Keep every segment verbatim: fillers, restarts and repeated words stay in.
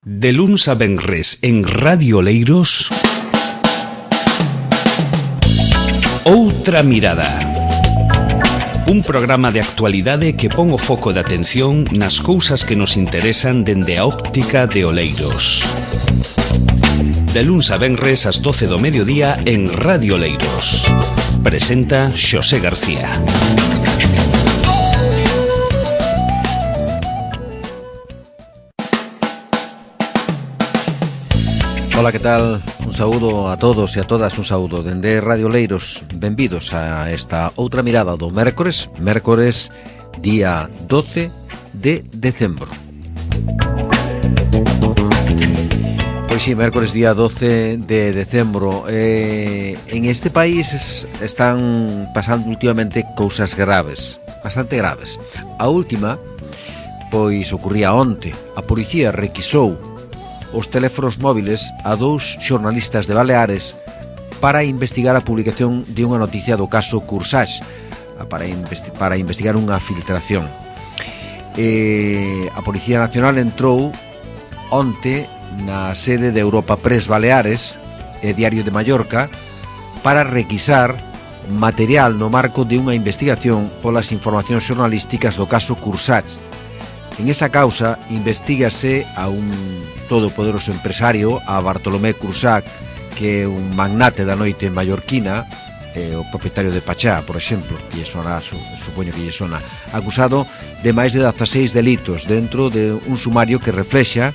De luns a venres en Radio Oleiros, Outra Mirada. Un programa de actualidade que pon o foco de atención nas cousas que nos interesan dende a óptica de Oleiros. De luns a venres ás doce do mediodía en Radio Oleiros. Presenta Xosé García. Ola, que tal? Un saúdo a todos e a todas, un saúdo dende Radio Oleiros. Benvidos a esta outra mirada do mércores, mércores día doce de decembro. Pois sí, mércores día doce de decembro. eh, En este país están pasando últimamente cousas graves, bastante graves. A última, pois ocurría onte. A policía requisou os teléfonos móviles a dous xornalistas de Baleares para investigar a publicación de unha noticia do caso Cursach, para, investi- para investigar unha filtración. E a Policía Nacional entrou onte na sede de Europa Press Baleares e Diario de Mallorca para requisar material no marco de unha investigación polas informacións xornalísticas do caso Cursach. En esa causa investígase a un todopoderoso empresario, a Bartolomé Cursach, que é un magnate da noite mallorquina, eh, o propietario de Pachá, por exemplo, que lle sona, su, supoño que lle sona, acusado de máis de dezaseis delitos dentro de un sumario que reflexa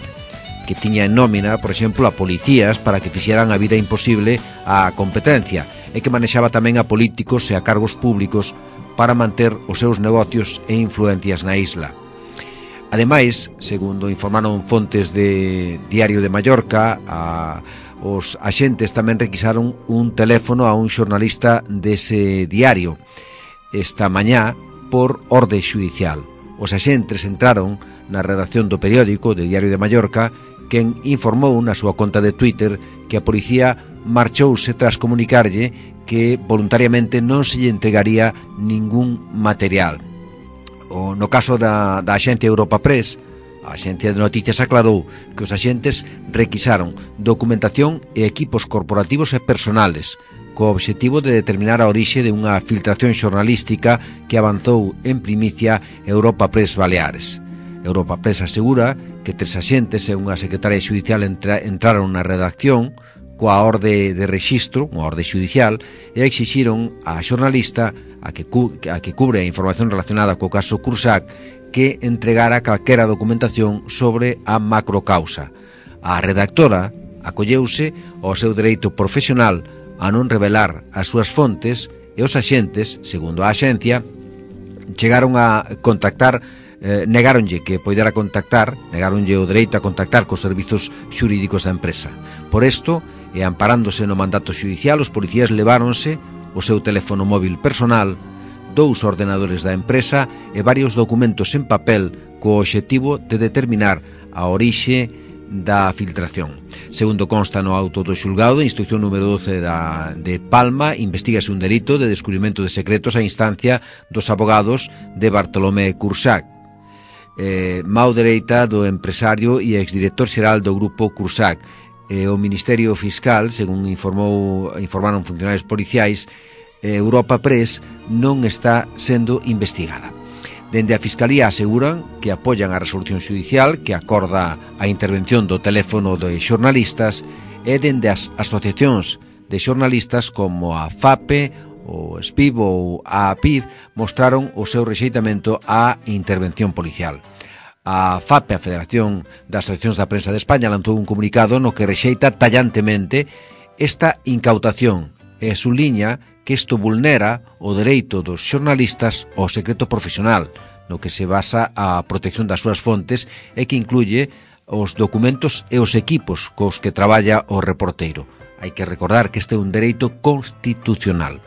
que tiña en nómina, por exemplo, a policías para que fixeran a vida imposible á competencia e que manexaba tamén a políticos e a cargos públicos para manter os seus negocios e influencias na isla. Ademais, segundo informaron fontes de Diario de Mallorca, a, os axentes tamén requisaron un teléfono a un xornalista dese diario esta mañá por orde xudicial. Os axentes entraron na redacción do periódico de Diario de Mallorca, quen informou na súa conta de Twitter que a policía marchouse tras comunicarlle que voluntariamente non se lle entregaría ningún material. O, no caso da, da axencia Europa Press, a axencia de noticias aclarou que os axentes requisaron documentación e equipos corporativos e personales co obxectivo de determinar a orixe de unha filtración xornalística que avanzou en primicia Europa Press Baleares. Europa Press asegura que tres axentes e unha secretaria xudicial entra, entraron na redacción coa orde de rexistro, unha orde xudicial, e exixiron á xornalista a que, cu, a que cubre a información relacionada co caso Cursach que entregara calquera documentación sobre a macrocausa. A redactora acolleuse ao seu dereito profesional a non revelar as súas fontes e os axentes, segundo a axencia, chegaron a contactar Eh, negáronlle que poidera contactar, negáronlle o dereito a contactar cos servizos xurídicos da empresa. Por isto, e amparándose no mandato xudicial, os policías leváronse o seu teléfono móvil personal, dous ordenadores da empresa e varios documentos en papel co obxectivo de determinar a orixe da filtración. Segundo consta no auto do xulgado de instrucción número doce da, de Palma, investígase un delito de descubrimento de secretos a instancia dos abogados de Bartolomé Cursach, Eh, mau dereita do empresario e exdirector xeral do grupo Cursach. Eh, o Ministerio Fiscal, según informou, informaron funcionarios policiais, eh, Europa Press non está sendo investigada. Dende a Fiscalía aseguran que apoian a resolución xudicial que acorda a intervención do teléfono de xornalistas, e dende as asociacións de xornalistas como a FAPE, o SPIB ou a APID mostraron o seu rexeitamento á intervención policial. A FAPE, a Federación das Asociacións da Prensa de España, lanzou un comunicado no que rexeita tallantemente esta incautación e subliña que isto vulnera o dereito dos xornalistas ao secreto profesional, no que se basa a protección das súas fontes e que incluye os documentos e os equipos cos que traballa o reporteiro. Hai que recordar que este é un dereito constitucional.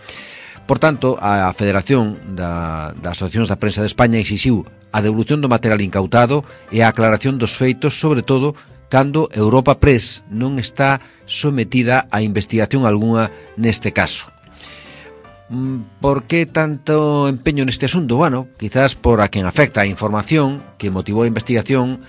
Por tanto, a Federación da, das Asociacións da Prensa de España exixiu a devolución do material incautado e a aclaración dos feitos, sobre todo cando Europa Press non está sometida a investigación algunha neste caso. Por que tanto empeño neste asunto? Bueno, quizás por a quen afecta a información que motivou a investigación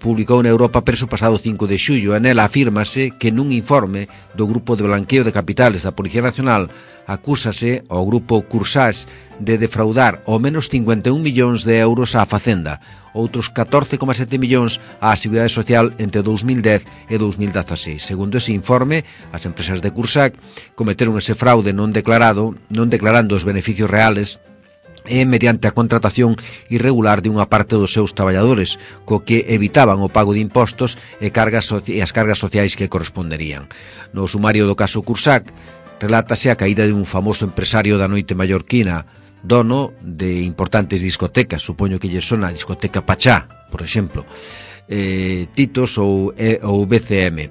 publicou na Europa Press o pasado cinco de xullo e nela afírmase que nun informe do Grupo de Blanqueo de Capitales da Policía Nacional acúsase ao Grupo Cursage de defraudar ao menos cincuenta e un millóns de euros á Facenda, outros catorce coma sete millóns á Seguridade Social entre dous mil dez e dous mil dezaseis. Segundo ese informe, as empresas de Cursag cometeron ese fraude non declarado, non declarando os beneficios reales e mediante a contratación irregular de unha parte dos seus traballadores, co que evitaban o pago de impostos e, cargas e as cargas sociais que corresponderían. No sumario do caso Cursag, relátase a caída de un famoso empresario da noite mallorquina, dono de importantes discotecas, supoño que lle sona a discoteca Pachá, por exemplo, eh, Titos ou, e, ou B C M,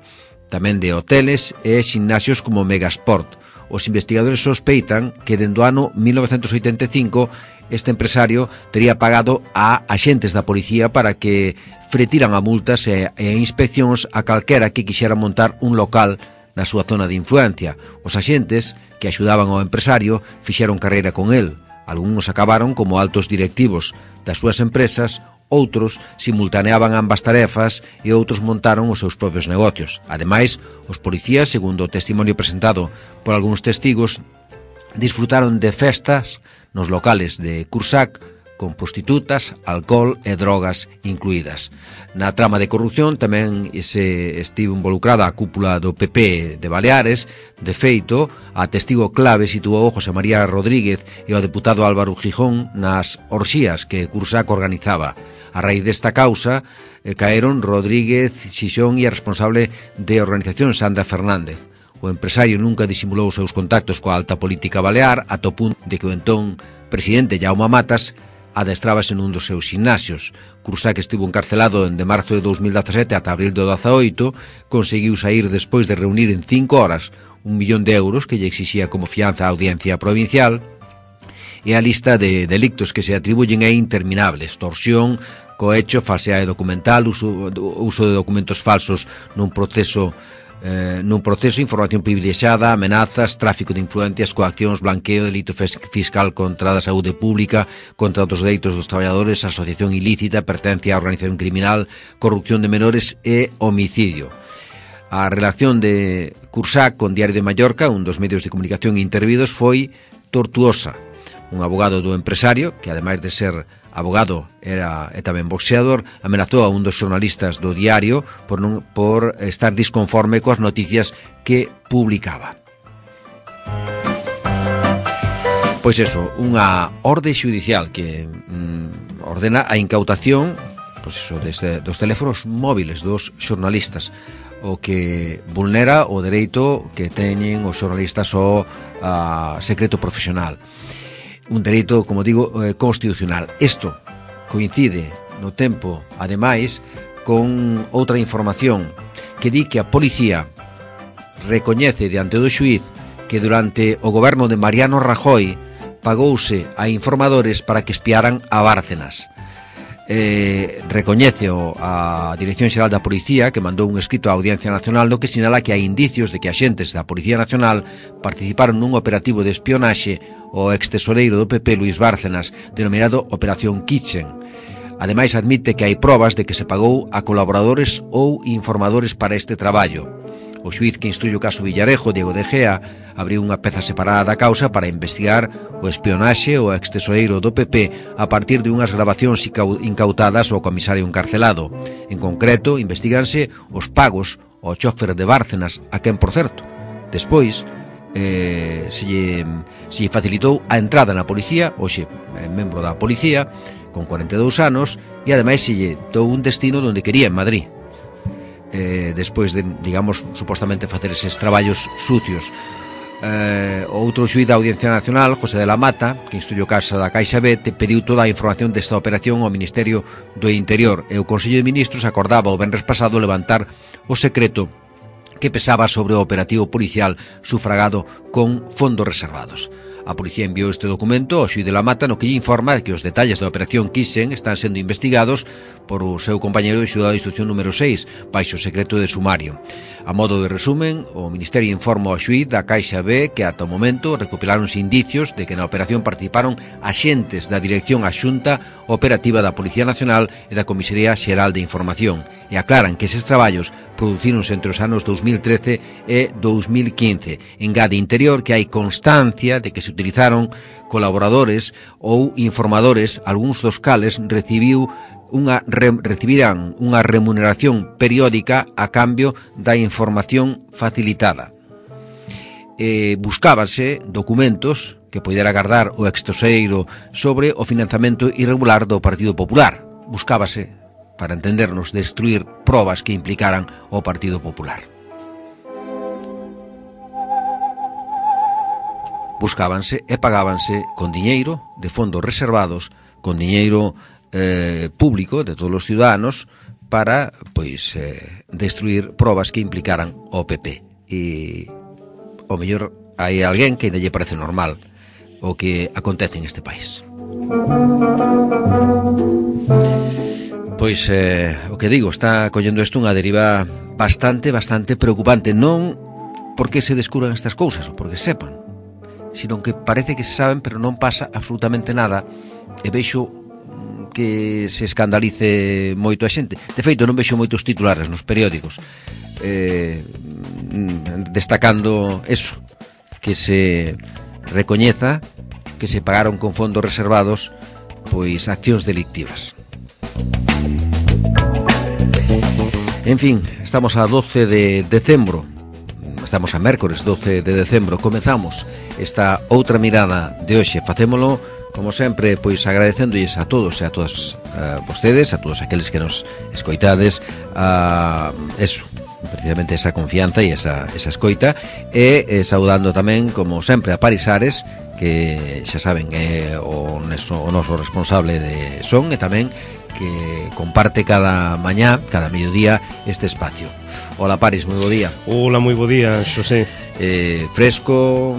tamén de hoteles e ximnasios como Megasport. Os investigadores sospeitan que dende o ano mil novecentos oitenta e cinco este empresario tería pagado a axentes da policía para que fretiran a multas e, e inspeccións a calquera que quixera montar un local na súa zona de influencia. Os axentes que axudaban ao empresario fixeron carreira con el. Algúns acabaron como altos directivos das súas empresas, outros simultaneaban ambas tarefas e outros montaron os seus propios negocios. Ademais, os policías, segundo o testimonio presentado por algúns testigos, disfrutaron de festas nos locales de Cursag con prostitutas, alcohol e drogas incluídas. Na trama de corrupción tamén se estivo involucrada a cúpula do P P de Baleares. De feito, a testigo clave situou José María Rodríguez e o deputado Álvaro Gijón nas orxías que Cursag organizaba. A raíz desta causa, eh, caeron Rodríguez, Xixón e a responsable de organización Sandra Fernández. O empresario nunca disimulou os seus contactos coa alta política balear, ata o punto de que o entón presidente Jaume Matas adestrábase nun dos seus gimnasios. Cursag estivo encarcelado de marzo de dous mil dezasete ata abril de dezaoito, conseguiu sair despois de reunir en cinco horas un millón de euros que lle exixía como fianza a Audiencia Provincial, e a lista de delictos que se atribuyen é interminable: extorsión, cohecho, falseade documental, uso, uso de documentos falsos nun proceso Eh, nun proceso, información privilexiada, amenazas, tráfico de influencias, coaccións, blanqueo, delito fiscal contra a saúde pública, contra os dereitos dos traballadores, asociación ilícita, pertenencia a organización criminal, corrupción de menores e homicidio. A relación de Cursag con Diario de Mallorca, un dos medios de comunicación intervidos, foi tortuosa. Un abogado do empresario, que ademais de ser abogado era e tamén boxeador, amenazou a un dos xornalistas do diario por, non, por estar disconforme coas noticias que publicaba. Pois eso, unha orde xudicial que mm, ordena a incautación, pois eso, desde, dos teléfonos móviles dos xornalistas, o que vulnera o dereito que teñen os xornalistas ao a secreto profesional. Un dereito, como digo, eh, constitucional. Isto coincide no tempo, ademais, con outra información que di que a policía recoñece diante do xuíz que durante o goberno de Mariano Rajoy pagouse a informadores para que espiaran a Bárcenas. Eh, recoñece a Dirección Xeral da Policía, que mandou un escrito á Audiencia Nacional no que sinala que hai indicios de que axentes da Policía Nacional participaron nun operativo de espionaxe ao extesoreiro do P P Luis Bárcenas, denominado Operación Kitchen. Ademais, admite que hai probas de que se pagou a colaboradores ou informadores para este traballo. O xuíz que instruye o caso Villarejo, Diego de Gea, abriu unha peza separada da causa para investigar o espionaxe ao extesoreiro do P P a partir de unhas grabacións incautadas ao comisario encarcelado. En concreto, investiganse os pagos ao chofer de Bárcenas, a quen, por certo, despois eh, se, lle, se lle facilitou a entrada na policía, hoxe é membro da policía, con cuarenta e dous anos, e ademais se lle dou un destino onde quería, en Madrid. Eh, despois de, digamos, supostamente facer eses traballos sucios. Eh, o outro xuíz da Audiencia Nacional, José de la Mata, que instruye o caso da Caixa B, te pediu toda a información desta operación ao Ministerio do Interior, e o Consello de Ministros acordaba o venres pasado levantar o secreto que pesaba sobre o operativo policial sufragado con fondos reservados. A policía enviou este documento ao xuíz de La Mata, no que lle informa que os detalles da operación Kisen están sendo investigados por o seu compañeiro de xulgado de instrucción número seis, baixo secreto de sumario. A modo de resumen, o Ministerio informa ao xuíz da Caixa B que ata o momento recopilaronse indicios de que na operación participaron axentes da Dirección Axunta Operativa da Policía Nacional e da Comisaría Xeral de Información, e aclaran que eses traballos producíronse entre os anos dous mil trece e dous mil quince. Engade Interior que hai constancia de que se utilizaron colaboradores ou informadores, algúns dos cales recibiu unha re, recibirán unha remuneración periódica a cambio da información facilitada. Eh, buscábase documentos que poidera agardar o extoseiro sobre o financiamento irregular do Partido Popular. Buscábase, para entendernos, destruir probas que implicaran o Partido Popular. Buscábanse e pagábanse con diñeiro de fondos reservados, con diñeiro eh, público de todos os ciudadanos para, pois, eh, destruir probas que implicaran o P P. E, o mellor, hai alguén que ainda lle parece normal o que acontece en este país. Pois, eh, o que digo, está collendo isto unha deriva bastante, bastante preocupante. Non porque se descubran estas cousas ou porque sepan, sino que parece que se saben, pero non pasa absolutamente nada, e vexo que se escandalice moito a xente. De feito, non vexo moitos titulares nos periódicos eh, destacando eso, que se recoñeza que se pagaron con fondos reservados pois accións delictivas. En fin, estamos a doce de decembro. Estamos a mércores doce de decembro. Comezamos esta outra mirada de hoxe. Facémolo, como sempre, pois agradecéndolles a todos e a todas a vostedes, a todos aqueles que nos escoitades, a eso, precisamente esa confianza e esa, esa escoita, e, e saudando tamén, como sempre, a Parisares, que xa saben é o, neso, o noso responsable de son, e tamén que comparte cada mañá, cada mediodía, este espacio. Hola Paris, moi bo día. Hola, moi bo día, Xosé. Eh, fresco,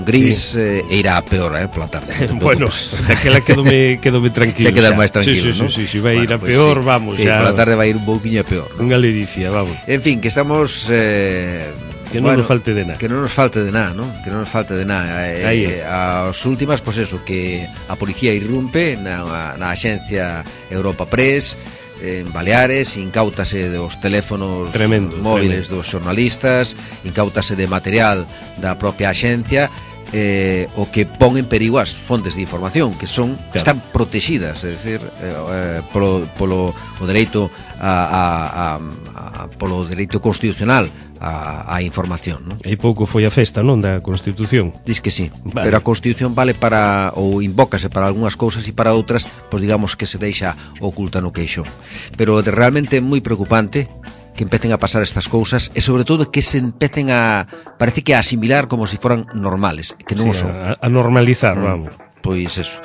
gris, sí. eh, e irá a peor, eh, pola tarde. Bueno, aquela quedome, quedome tranquilo. Xa quedar máis tranquilo, sí, sí, ¿no? Sí, sí, sí, vai bueno, ir a pues peor, sí. vamos. Sí, xa... pola tarde vai ir un pouquiño a peor, ¿no? Unha ledicia, vamos. En fin, que estamos... Eh, que non bueno, nos falte de nada. Que non nos falte de nada, ¿no? Que non nos falte de nada. Eh, eh, as últimas, pois pues eso, que a policía irrumpe na, na axencia Europa Press, en Baleares, incautase dos teléfonos tremendo, móviles tremendo. dos xornalistas, incautase de material da propia axencia, eh, o que pon en perigo as fontes de información que son claro. Están protegidas, é dicir, eh, polo, polo o dereito a, a, a, a polo dereito constitucional a, a información, non? E pouco foi a festa, non, da Constitución. Diz que sí, vale. Pero a Constitución vale para, ou invócase para algunhas cousas e para outras, pois digamos que se deixa oculta no queixo. Pero de realmente é moi preocupante que empecen a pasar estas cousas e sobre todo que se empecen a, parece que a asimilar como se si foran normales, que non sí, o son. A, a normalizar, mm, vamos. Pois eso.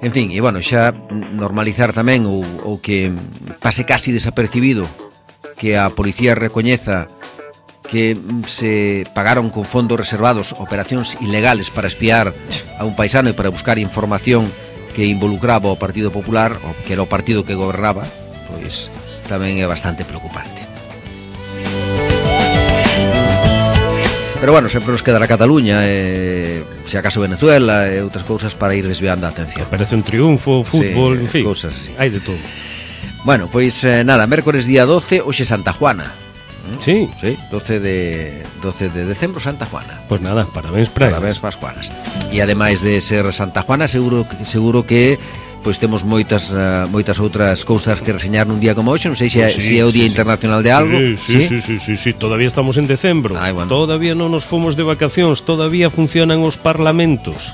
En fin, e bueno, xa normalizar tamén ou, ou que pase casi desapercibido que a policía recoñeza que se pagaron con fondos reservados operacións ilegales para espiar a un paisano e para buscar información que involucraba o Partido Popular, o que era o partido que gobernaba, pois tamén é bastante preocupante. Pero bueno, sempre nos quedará Cataluña, e, se acaso Venezuela e outras cousas para ir desviando a atención. Parece un triunfo, fútbol, sí, en fin, cousas así. Hai de todo. Bueno, pois eh, nada, mércores día doce, hoxe Santa Juana. Sí, sí, doce de decembro, Santa Juana. Pois pues nada, parabéns para Parabéns para as Juanas. E ademais de ser Santa Juana, seguro que seguro que pois temos moitas uh, moitas outras cousas que reseñar nun día como hoxe, non sei se, pues sí, se é o Día sí, Internacional de algo. Sí, sí, sí, sí, sí, sí, sí, todavía estamos en decembro. Ay, bueno. Todavía non nos fomos de vacacións, todavía funcionan os parlamentos.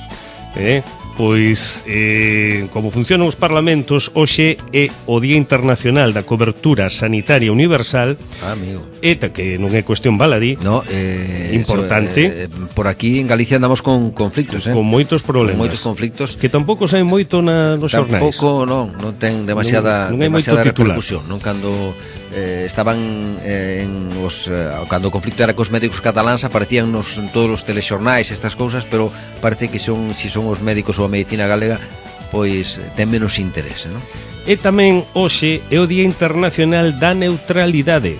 Eh? Pois, eh, como funcionan os parlamentos, hoxe é o Día Internacional da Cobertura Sanitaria Universal. Ah, amigo. Eta, que non é cuestión baladí. No, eh, importante. Eso, eh, por aquí en Galicia andamos con conflictos, eh? Con moitos problemas. Con moitos conflictos. Que tampouco saen moito na, nos xornais. Tampouco, non, non ten demasiada, non, non demasiada repercusión, non cando eh, estaban eh, en os, eh, cando o conflicto era cos médicos cataláns, aparecían nos, en todos os telexornais estas cousas, pero parece que son, si son os médicos ou a medicina galega, pois ten menos interese, non? E tamén hoxe é o Día Internacional da Neutralidade.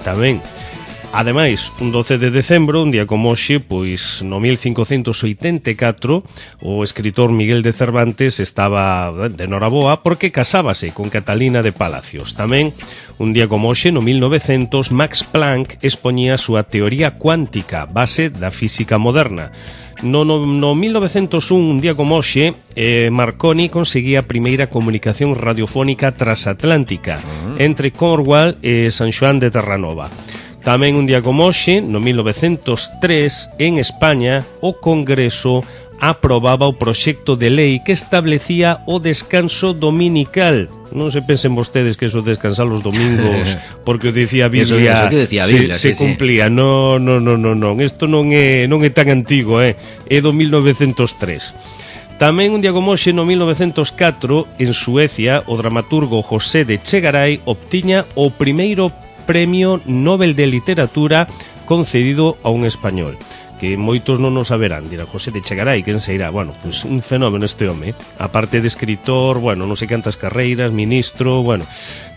Tamén. Ademais, un doce de decembro, un día como hoxe, pois no mil cincocentos oitenta e catro, o escritor Miguel de Cervantes estaba de noraboa porque casábase con Catalina de Palacios. Tamén, un día como hoxe, no mil novecientos, Max Planck expoñía a súa teoría cuántica, base da física moderna. No, no, no mil novecientos un, un día como hoxe, eh, Marconi conseguía a primeira comunicación radiofónica transatlántica entre Cornwall e San Xoán de Terranova. Tamén un día como hoxe, no mil novecientos tres, en España, o Congreso aprobaba o proxecto de lei que establecía o descanso dominical. Non se pensen vostedes que eso descansar os domingos porque o dicía a Biblia, eso, eso que decía a Biblia se, sí, se cumplía. Sí. No, no, no, no, non. Isto non é, non é tan antigo, eh? É do mil novecientos tres. Tamén un día como hoxe, no mil novecientos catro, en Suecia, o dramaturgo José de Chegaray obtiña o primeiro Premio Nobel de Literatura concedido a un español, que moitos non o saberán. Dirá, José de Chegaray, quen se irá? Bueno, pues un fenómeno este home, aparte de escritor, bueno, non sei cantas carreiras, ministro, bueno.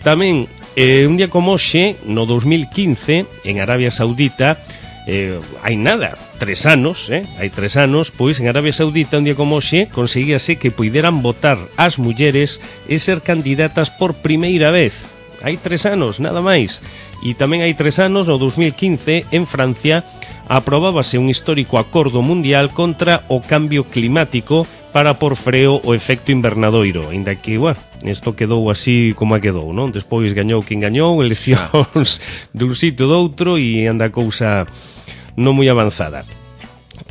Tamén, eh, un día como hoxe, no dos mil quince, en Arabia Saudita, eh, hai nada, tres anos, eh, hai tres anos, pois en Arabia Saudita, un día como hoxe, conseguíase que puideran votar as mulleres e ser candidatas por primeira vez. Hai tres anos, nada máis. E tamén hai tres anos, no dos mil quince, en Francia, aprobábase un histórico acordo mundial contra o cambio climático para por freo o efecto invernadoiro. Ainda que, bueno, isto quedou así como a quedou, non? Despois gañou quen gañou, eleccións dun sitio ou doutro e anda a cousa non moi avanzada.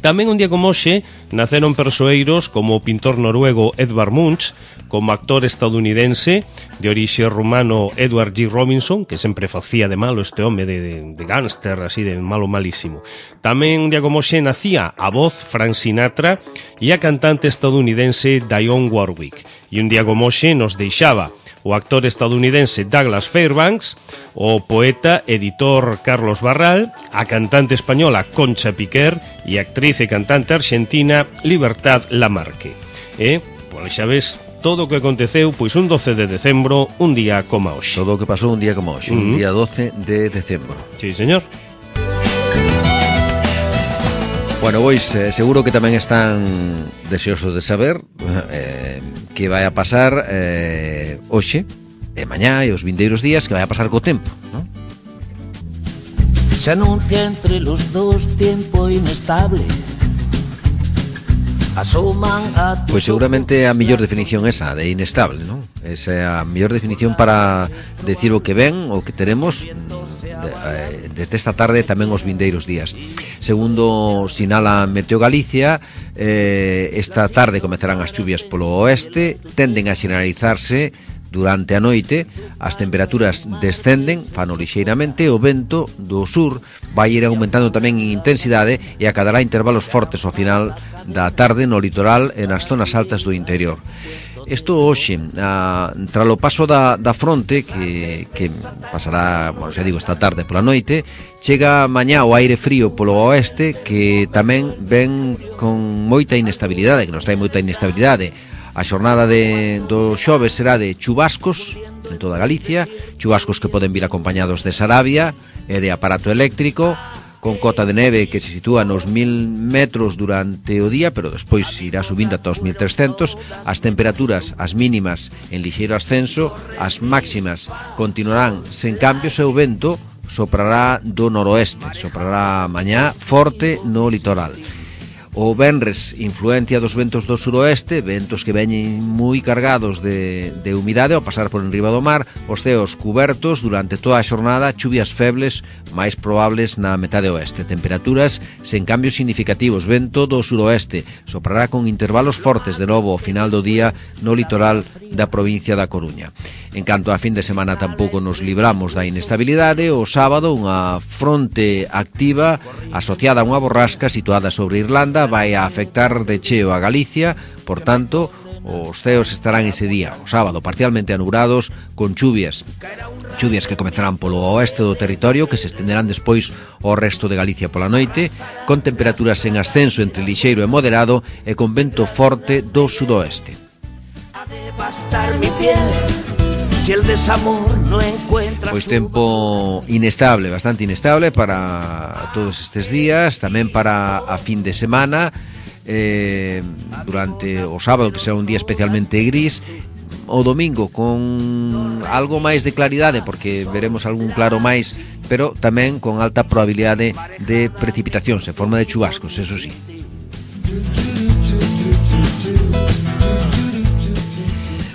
Tamén un día como hoxe naceron persoeiros como o pintor noruego Edvard Munch, como actor estadounidense de orixe rumano Edward G. Robinson, que sempre facía de malo este home de, de, de gánster, así de malo malísimo. Tamén un día como hoxe nacía a voz Frank Sinatra e a cantante estadounidense Dionne Warwick. E un día como hoxe nos deixaba o actor estadounidense Douglas Fairbanks, o poeta, editor Carlos Barral, a cantante española Concha Piquer e a actriz e cantante argentina Libertad Lamarque. E, pois xa ves, todo o que aconteceu, pois un doce de decembro, un día como hoxe. Todo o que pasou un día como hoxe, uh-huh. un día doce de decembro. Sí, señor. Bueno, pois eh, seguro que tamén están deseosos de saber eh, que vai a pasar eh, hoxe, e mañá e os vindeiros días, que vai a pasar co tempo, non? Se anuncia entre los dos tiempo inestable. Pois seguramente a mellor definición esa, de inestable, non? Esa é a mellor definición para decir o que ven, o que teremos de, eh, desde esta tarde tamén os vindeiros días. Segundo sinala Meteo Galicia, eh, esta tarde comezarán as chuvias polo oeste, tenden a xeneralizarse durante a noite, as temperaturas descenden, fano lixeiramente, o vento do sur vai ir aumentando tamén en intensidade e acadará intervalos fortes ao final da tarde no litoral e nas zonas altas do interior. Isto hoxe, a, tralo paso da, da fronte que, que pasará, bueno, xa digo, esta tarde pola noite, chega mañá o aire frío polo oeste que tamén ven con moita inestabilidade, que nos trae moita inestabilidade. A xornada de, do xoves será de chubascos en toda Galicia, chubascos que poden vir acompañados de Sarabia e de aparato eléctrico, con cota de neve que se sitúa nos mil metros durante o día, pero despois irá subindo ata os mil trescentos. As temperaturas, as mínimas en lixeiro ascenso, as máximas continuarán sen cambios e o vento soprará do noroeste, soprará mañá forte no litoral. O venres, influencia dos ventos do suroeste, ventos que veñen moi cargados de, de humidade ao pasar por enriba do mar, os ceos cubertos durante toda a xornada, chuvias febles máis probables na metade oeste, temperaturas sen cambios significativos, vento do suroeste, soprará con intervalos fortes de novo ao final do día no litoral da provincia da Coruña. En canto a fin de semana tampouco nos libramos da inestabilidade, o sábado unha fronte activa asociada a unha borrasca situada sobre Irlanda vai a afectar de cheo a Galicia, por tanto, Os ceos estarán ese día, o sábado, parcialmente anubrados, con chuvias. Chuvias que comezarán polo oeste do territorio, que se estenderán despois ao resto de Galicia pola noite, con temperaturas en ascenso entre lixeiro e moderado e con vento forte do sudoeste. Pois tempo inestable, bastante inestable para todos estes días, tamén para a fin de semana. Eh, durante o sábado, que será un día especialmente gris, o domingo con algo máis de claridade, porque veremos algún claro máis, pero tamén con alta probabilidade de precipitacións en forma de chubascos, eso sí.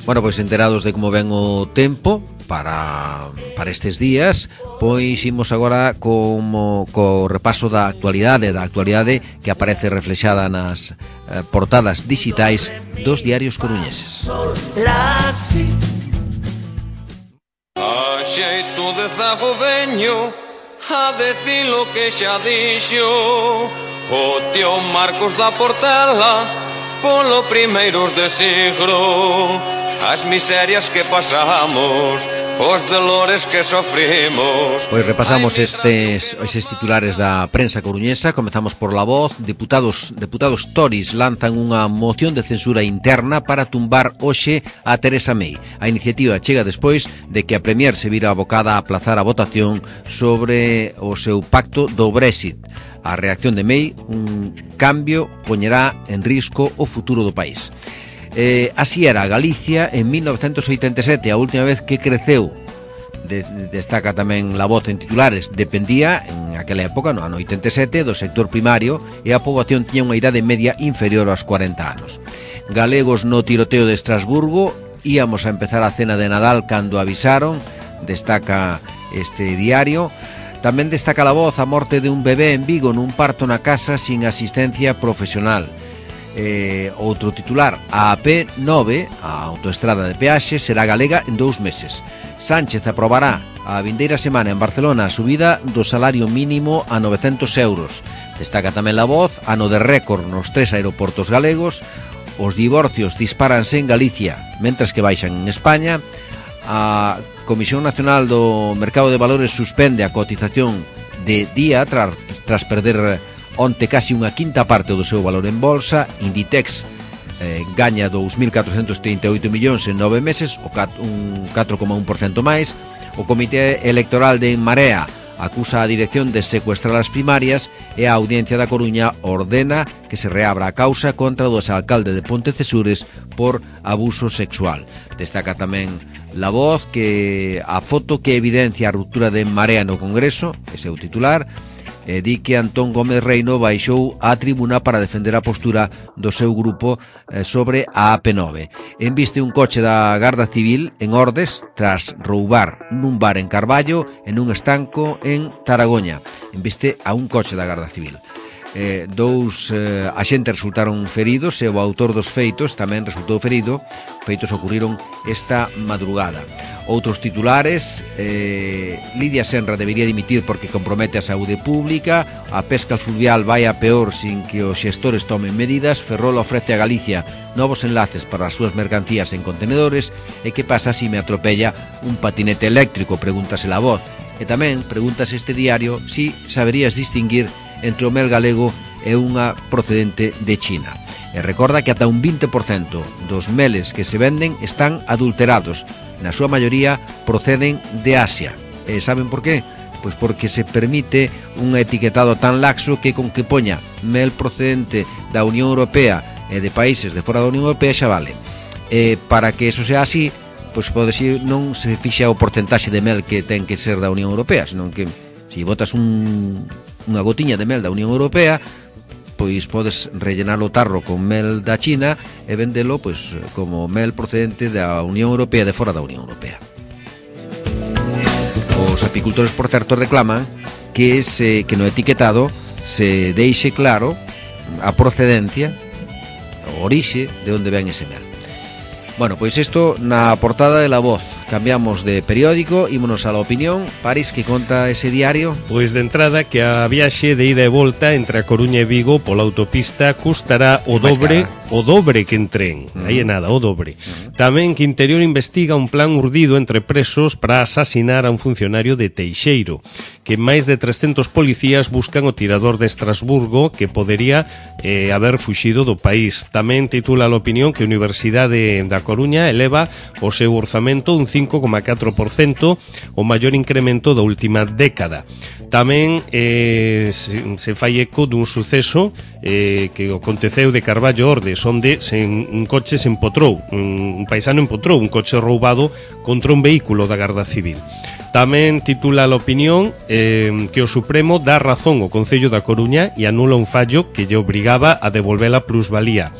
Bueno, pois enterados de como ven o tempo para, para estes días, pois imos agora como co repaso da actualidade, da actualidade que aparece reflexada nas eh, portadas digitais dos diarios coruñeses. A xeito de zago veño a decir lo que xa dixo o tío Marcos da Portela polo primeiros de siglo. As miserias que pasamos, os dolores que sofrimos. Pois repasamos estes, estes titulares da prensa coruñesa. Comezamos por La Voz. Deputados, deputados Tories lanzan unha moción de censura interna para tumbar hoxe a Teresa May. A iniciativa chega despois de que a Premier se vira abocada a aplazar a votación sobre o seu pacto do Brexit. A reacción de May, un cambio, poñerá en risco o futuro do país. Eh, así era Galicia en mil novecentos oitenta e sete, a última vez que creceu. De, destaca tamén La Voz en titulares. Dependía, en aquela época, no ano oitenta e sete, do sector primario e a poboación tiña unha idade media inferior aos cuarenta anos. Galegos no tiroteo de Estrasburgo. Íamos a empezar a cena de Nadal cando avisaron, destaca este diario. Tamén destaca La Voz a morte de un bebé en Vigo nun parto na casa sin asistencia profesional. Eh, outro titular, a A P nove, a autoestrada de peaxe, será galega en dous meses. Sánchez aprobará a vindeira semana en Barcelona a subida do salario mínimo a novecentos euros. Destaca tamén La Voz, ano de récord nos tres aeroportos galegos. Os divorcios disparanse en Galicia, mentras que baixan en España. A Comisión Nacional do Mercado de Valores suspende a cotización de día tras, tras perder onte casi unha quinta parte do seu valor en bolsa. Inditex eh, gaña dous mil catrocentos trinta e oito millóns en nove meses, o cat, un catro coma un por cento máis. O Comité Electoral de En Marea acusa a dirección de secuestrar as primarias e a Audiencia da Coruña ordena que se reabra a causa contra o exalcalde de Pontecesures por abuso sexual. Destaca tamén La Voz que a foto que evidencia a ruptura de En Marea no Congreso, ese é o titular. E di que Antón Gómez Reino baixou á tribuna para defender a postura do seu grupo eh, sobre a A P nove. Enviste un coche da Garda Civil en Ordes tras roubar nun bar en Carballo e nun estanco en Taragoña. Enviste a un coche da Garda Civil. Eh, dous eh, axentes resultaron feridos e o autor dos feitos tamén resultou ferido. Feitos ocurriron esta madrugada. Outros titulares, eh, Lidia Senra debería dimitir porque compromete a saúde pública. A pesca fluvial vai a peor sin que os xestores tomen medidas. Ferrol ofrece a Galicia novos enlaces para as súas mercancías en contenedores. E que pasa se me atropella un patinete eléctrico? Pregúntase La Voz. E tamén pregúntase este diario si saberías distinguir entre o mel galego e unha procedente de China. E recorda que ata un vinte por cento dos meles que se venden están adulterados. Na súa maioría proceden de Asia. E saben por qué? Pois porque se permite un etiquetado tan laxo que con que poña mel procedente da Unión Europea e de países de fora da Unión Europea xa vale. E para que eso sea así, pois pode ser, non se fixa o porcentaxe de mel que ten que ser da Unión Europea, senón que se botas un, unha gotiña de mel da Unión Europea, pois podes rellenar o tarro con mel da China e vendelo pois como mel procedente da Unión Europea de fora da Unión Europea. Os apicultores, por certo, reclaman que se que no etiquetado se deixe claro a procedencia, a orixe de onde ven ese mel. Bueno, pois isto na portada de La Voz. cambiamos de periódico, ímonos a La Opinión. París, que conta ese diario? Pois de entrada que a viaxe de ida e volta entre a Coruña e Vigo pola autopista custará o dobre, o dobre que en tren. Uh-huh. Aí é nada, o dobre. Uh-huh. Tamén que Interior investiga un plan urdido entre presos para asasinar a un funcionario de Teixeiro, que máis de trescentos policías buscan o tirador de Estrasburgo que podería eh, haber fuxido do país. Tamén titula a Opinión que a Universidade da Coruña eleva o seu orzamento un cinco coma catro por cento, o maior incremento da última década. Tamén eh, se, se fai eco dun suceso eh, que aconteceu de Carballo Ordes, onde se, un coche se empotrou, un, un paisano empotrou un coche roubado contra un vehículo da Garda Civil. Tamén titula a Opinión eh, que o Supremo dá razón ao Concello da Coruña e anula un fallo que lle obrigaba a devolver a plusvalía.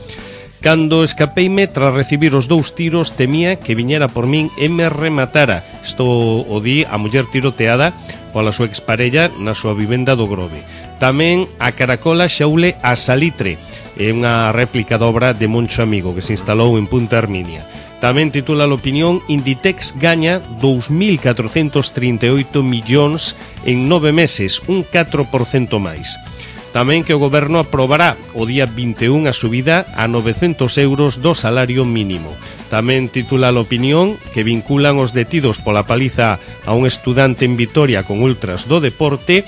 Cando escapeime tras recibir os dous tiros, temía que viñera por min e me rematara. Isto o di a muller tiroteada pola súa exparella na súa vivenda do Grove. Tamén a Caracola xaule a Salitre, é unha réplica da obra de Moncho Amigo que se instalou en Punta Herminia. Tamén titula a Opinión, Inditex gaña dous mil catrocentos trinta e oito millóns en nove meses, un catro por cento máis. Tamén que o Goberno aprobará o día vinte e un a subida a novecentos euros do salario mínimo. Tamén titula a Opinión que vinculan os detidos pola paliza a un estudante en Vitoria con ultras do deporte,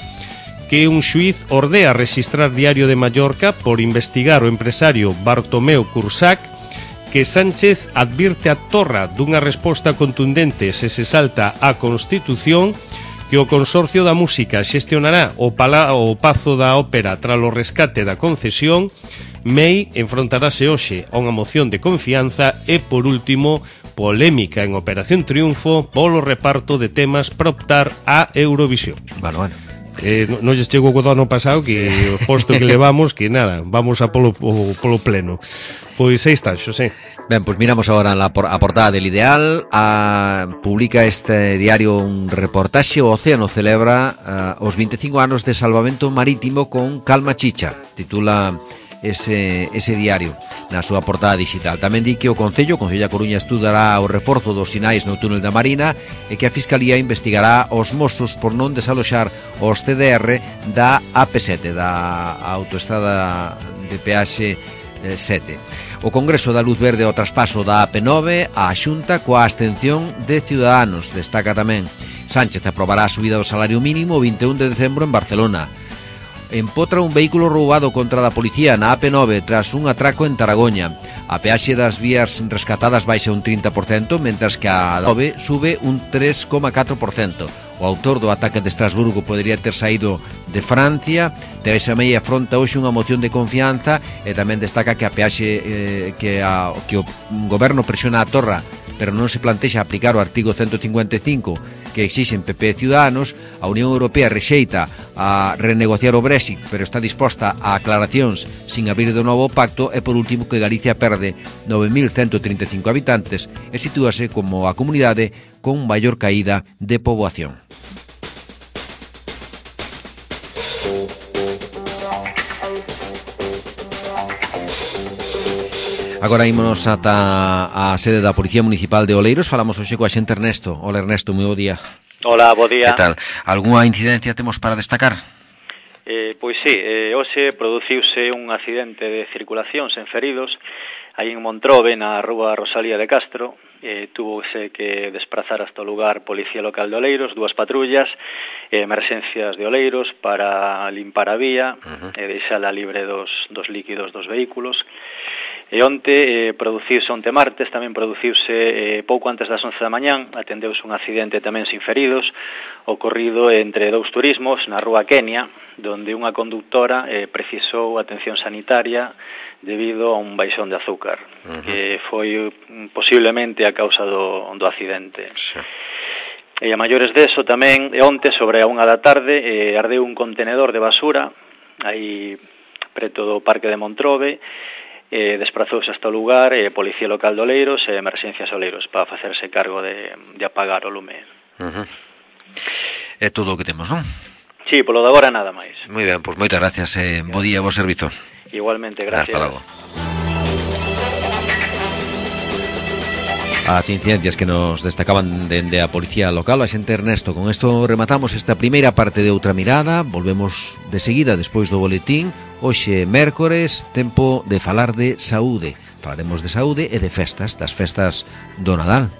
que un xuiz ordea registrar Diario de Mallorca por investigar o empresario Bartomeu Cursac, que Sánchez advirte a Torra dunha resposta contundente se se salta a Constitución, que o Consorcio da Música xestionará o, pala, o Pazo da Ópera tras o rescate da concesión. May enfrontarase hoxe a unha moción de confianza e, por último, polémica en Operación Triunfo polo reparto de temas para optar a Eurovisión. Bueno, bueno. Eh, non no lles chegou o ano pasado que sí. O posto que levamos, que nada, vamos a polo, o, polo pleno. Pois aí está, Xosé. Ben, pois miramos agora a portada del Ideal. A, publica este diario un reportaxe. O Océano celebra uh, os vinte e cinco anos de salvamento marítimo con Calma Chicha, titula ese, ese diario na súa portada digital. Tamén di que o Concello, o Concello da Coruña, estudará o reforzo dos sinais no túnel da Marina e que a Fiscalía investigará os mozos por non desaloxar os T D R da A P sete, da autoestrada de peaxe sete. O Congreso dá luz verde ao traspaso da A P nove á Xunta coa abstención de Ciudadanos. Destaca tamén Sánchez aprobará a subida do salario mínimo o vinte e un de decembro en Barcelona. Empotra un vehículo roubado contra da policía na A P nove tras un atraco en Taragoña. A peaxe das vías rescatadas baixa un trinta por cento, mentras que a nove sube un tres coma catro por cento. O autor do ataque de Estrasburgo podería ter saído de Francia. Teresa May afronta hoxe unha moción de confianza e tamén destaca que a peaxe eh, que, a, que o goberno presiona a Torra, pero non se plantexa aplicar o artigo ciento cincuenta e cinco que exixen P P e Ciudadanos. A Unión Europea rexeita a renegociar o Brexit, pero está disposta a aclaracións sin abrir de novo o pacto. E por último que Galicia perde nove mil ciento trinta e cinco habitantes e sitúase como a comunidade con maior caída de poboación. Agora ímonos ata a sede da Policía Municipal de Oleiros. Falamos hoxe coa xente Ernesto. Hola Ernesto, moi bo día. Hola, bo día. Que tal? Algúa incidencia temos para destacar? Eh, pois sí, eh, hoxe produciuse un accidente de circulación sen feridos aí en Montrobe, na rúa Rosalía de Castro. Eh, tuvose que desplazar hasta o lugar Policía Local de Oleiros, dúas patrullas, eh, emerxencias de Oleiros para limpar a vía uh-huh. e deixala libre dos, dos líquidos dos vehículos. E onte, eh, produciuse onte martes, tamén produciuse eh, pouco antes das once da mañán, atendeuse un accidente tamén sin feridos, ocorrido entre dous turismos na rúa Kenia, donde unha conductora eh, precisou atención sanitaria debido a un baixón de azúcar, uh-huh. que foi posiblemente a causa do, do accidente. Sí. E a maiores deso tamén, e onte, sobre a unha da tarde, eh, ardeu un contenedor de basura, aí preto do Parque de Montrobe. Eh, desprazouse hasta o lugar eh, Policía Local de Oleiros e Emerxencias Oleiros para facerse cargo de, de apagar o lume. Uh-huh. É todo o que temos, non? Sí, polo de agora nada máis. Moi ben, pois moitas gracias, eh, bo día, bo servizo. Igualmente, gracias. Hasta logo. as incidencias que nos destacaban dende a Policía Local, a xente Ernesto. Con isto rematamos esta primeira parte de Outra Mirada. Volvemos de seguida despois do boletín. Hoxe, mércores, tempo de falar de saúde. Falaremos de saúde e de festas, das festas do Nadal.